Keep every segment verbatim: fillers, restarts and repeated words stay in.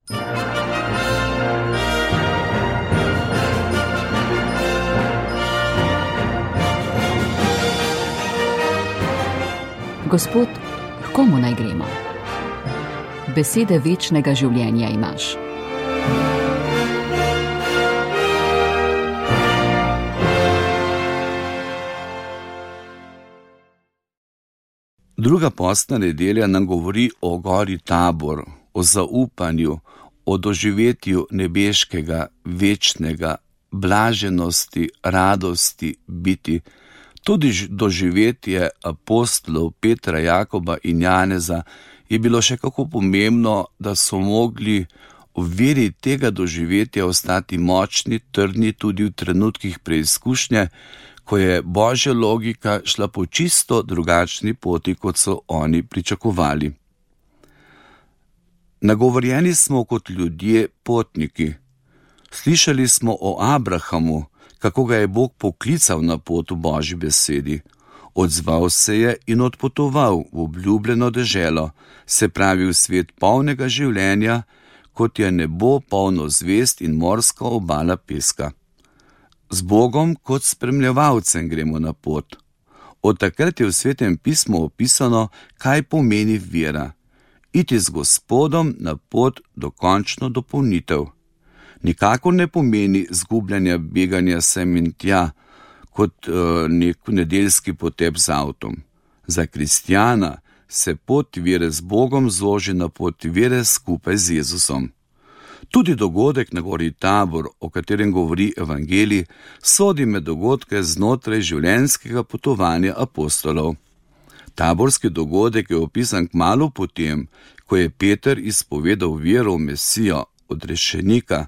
Gospod, k komu naj gremo? Besede večnega življenja imaš. Druga postna nedelja nam govori o gori Tabor, o zaupanju, o doživetju nebeškega, večnega, blaženosti, radosti biti. Tudi doživetje apostolov Petra, Jakoba in Janeza je bilo še kako pomembno, da so mogli v veri tega doživetja ostati močni, trdni tudi v trenutkih preizkušnje, ko je Božja logika šla po čisto drugačni poti, kot so oni pričakovali. Nagovorjeni smo kot ljudje potniki. Slišali smo o Abrahamu, kako ga je Bog poklical na pot v Božji besedi. Odzval se je in odpotoval v obljubljeno deželo, se pravi v svet polnega življenja, kot je nebo polno zvezd in morska obala peska. Z Bogom kot spremljevalcem gremo na pot. Od takrat je v Svetem pismu opisano, kaj pomeni vera. Iti z Gospodom na pot do končno dopolnitev. Nikakor ne pomeni zgubljanja, beganja sem in tja, kot uh, nek nedeljski potep z avtom. Za kristjana se pot vere z Bogom zoži na pot vere skupaj z Jezusom. Tudi dogodek na gori Tabor, o katerem govori evangelij, sodi med dogodke znotraj življenjskega potovanja apostolov. Taborski dogodek je opisan kmalu potem, ko je Peter izpovedal vero v Mesijo, odrešenika,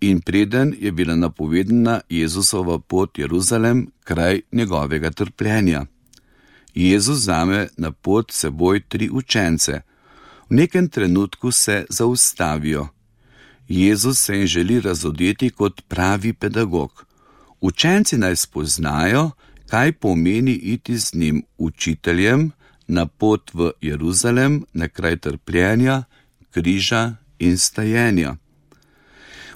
in preden je bila napovedana Jezusova pot Jeruzalem, kraj njegovega trpljenja. Jezus vzame na pot seboj tri učence. V nekem trenutku se zaustavijo. Jezus se jim želi razodeti kot pravi pedagog. Učenci naj spoznajo, kaj pomeni iti z njim učiteljem na pot v Jeruzalem, na kraj trpljenja, križa in stajenja.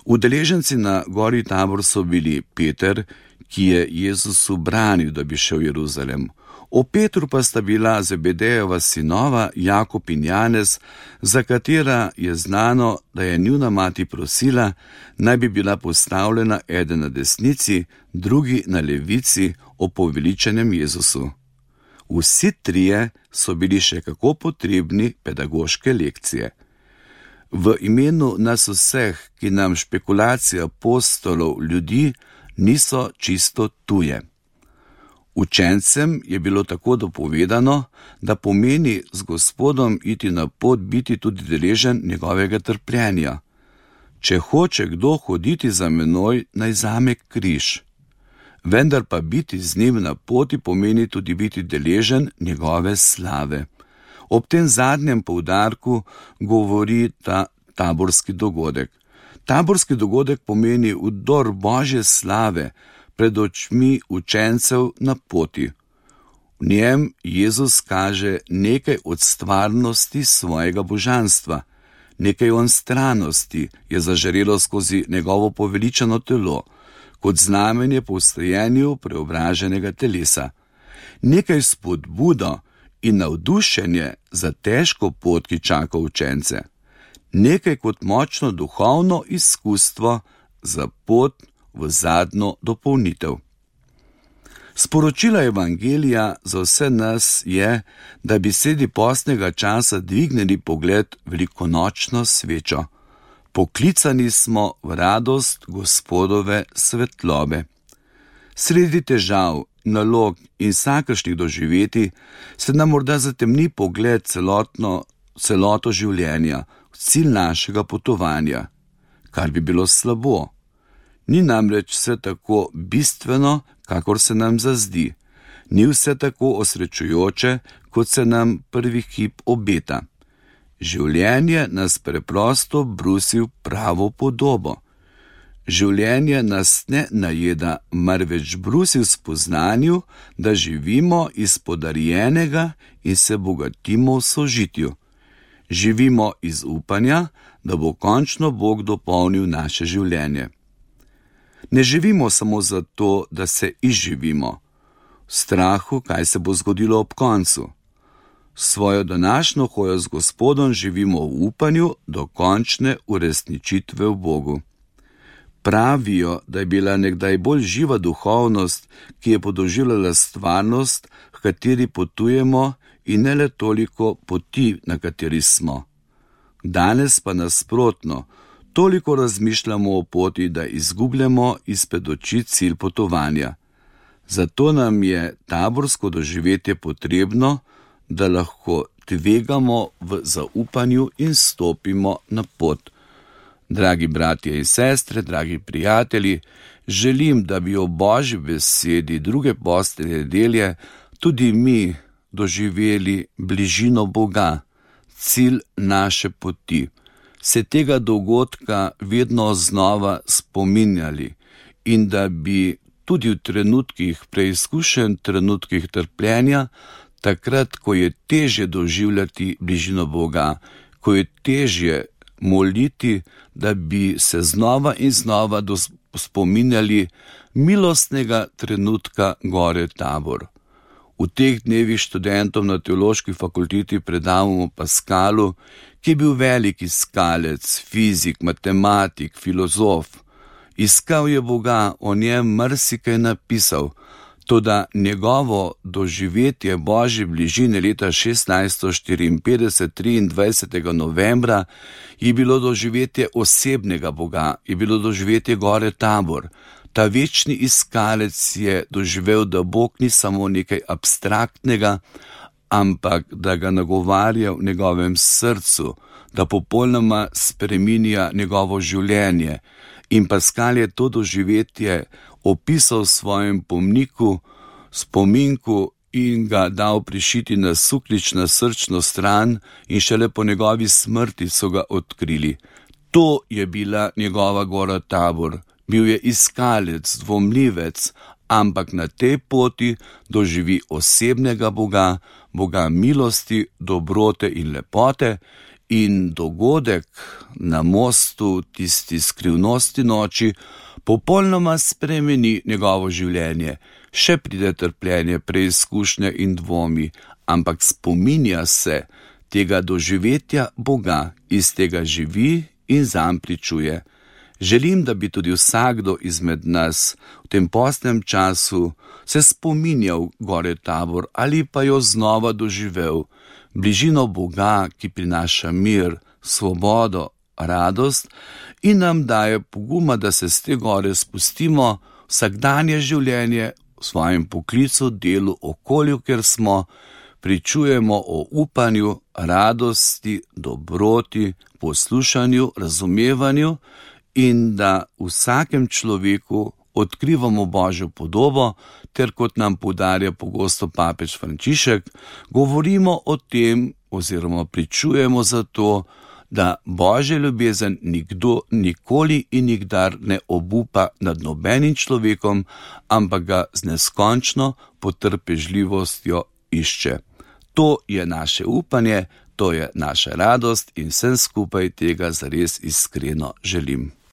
Udeleženci na gori Tabor so bili Peter, ki je Jezusu branil, da bi šel v Jeruzalem. O Petru pa sta bila Zebedejeva sinova Jakob in Janez, za katera je znano, da je njuna mati prosila, naj bi bila postavljena eden na desnici, drugi na levici ob poveličenem Jezusu. Vsi trije so bili še kako potrebni pedagoške lekcije. V imenu nas vseh, ki nam špekulacije apostolov ljudi niso čisto tuje. Učencem je bilo tako dopovedano, da pomeni z Gospodom iti na pot, biti tudi deležen njegovega trpljenja. Če hoče kdo hoditi za menoj, naj zame križ. Vendar pa biti z njim na poti pomeni tudi biti deležen njegove slave. Ob tem zadnjem poudarku govori ta taborski dogodek. Taborski dogodek pomeni vdor Božje slave pred očmi učencev na poti. V njem Jezus kaže nekaj od stvarnosti svojega božanstva, nekaj onstranosti je zažarelo skozi njegovo poveličeno telo, kot znamenje po vstajenju preobraženega telesa. Nekaj spodbudo in navdušenje za težko pot, ki čaka učence. Nekaj kot močno duhovno izkustvo za pot v zadnjo dopolnitev. Sporočilo evangelija za vse nas je, da bi sredi postnega časa dvignili pogled velikonočno svečo. Poklicani smo v radost Gospodove svetlobe. Sredi težav, nalog in vsakršnih doživetij se nam morda zatemni pogled celotno, celoto življenja, cilj našega potovanja, kar bi bilo slabo. Ni namreč vse tako bistveno, kakor se nam zazdi. Ni vse tako osrečujoče, kot se nam prvi hip obeta. Življenje nas preprosto brusi v pravo podobo. Življenje nas ne najeda, marveč brusi v spoznanju, da živimo iz podarjenega in se bogatimo v sožitju. Živimo iz upanja, da bo končno Bog dopolnil naše življenje. Ne živimo samo zato, da se izživimo, v strahu, kaj se bo zgodilo ob koncu. Svojo današnjo hojo z Gospodom živimo v upanju do končne uresničitve v Bogu. Pravijo, da je bila nekdaj bolj živa duhovnost, ki je podoživljala stvarnost, v kateri potujemo, in ne le toliko poti, na kateri smo. Danes pa nasprotno, toliko razmišljamo o poti, da izgubljamo izpred oči cilj potovanja. Zato nam je taborsko doživetje potrebno, da lahko tvegamo v zaupanju in stopimo na pot. Dragi bratje in sestre, dragi prijatelji, želim, da bi o Božji besedi druge postne nedelje tudi mi doživeli bližino Boga, cilj naše poti, se tega dogodka vedno znova spominjali in da bi tudi v trenutkih preizkušenj, trenutkih trpljenja, takrat, ko je težje doživljati bližino Boga, ko je težje moliti, da bi se znova in znova spominjali milostnega trenutka gore Tabor. V teh dnevih študentom na teološki fakulteti predavamo Paskalu, ki je bil velik iskalec, fizik, matematik, filozof. Iskal je Boga, o njem marsikaj napisal, toda njegovo doživetje Božje bližine leta šestnajststo štiriinpetdeset, triindvajsetega novembra, je bilo doživetje osebnega Boga, je bilo doživetje gore Tabor. Ta večni iskalec je doživel, da Bog ni samo nekaj abstraktnega, ampak da ga nagovarja v njegovem srcu, da popolnoma spreminja njegovo življenje. In Paskal je to doživetje opisal v svojem pomniku, spominku in ga dal prišiti na suklič na srčno stran in šele po njegovi smrti so ga odkrili. To je bila njegova gora Tabor. Bil je iskalec, dvomljivec, ampak na tej poti doživi osebnega Boga, Boga milosti, dobrote in lepote, in dogodek na mostu, tisti skrivnosti noči, popolnoma spremeni njegovo življenje. Še pride trpljenje, preizkušnje in dvomi, ampak spominja se tega doživetja Boga, iz tega živi in zanj pričuje. Želim, da bi tudi vsakdo izmed nas v tem postnem času se spominjal gore Tabor ali pa jo znova doživel, bližino Boga, ki prinaša mir, svobodo, radost in nam daje poguma, da se z te gore spustimo vsakdanje življenje v svojem poklicu, delu, okolju, kjer smo, pričujemo o upanju, radosti, dobroti, poslušanju, razumevanju in da v vsakem človeku odkrivamo Božjo podobo, ter kot nam poudarja pogosto papež Frančišek, govorimo o tem oziroma pričujemo za to, da Božja ljubezen nikdo nikoli in nikdar ne obupa nad nobenim človekom, ampak ga z neskončno potrpežljivostjo išče. To je naše upanje, to je naša radost in vsem skupaj tega zares iskreno želim.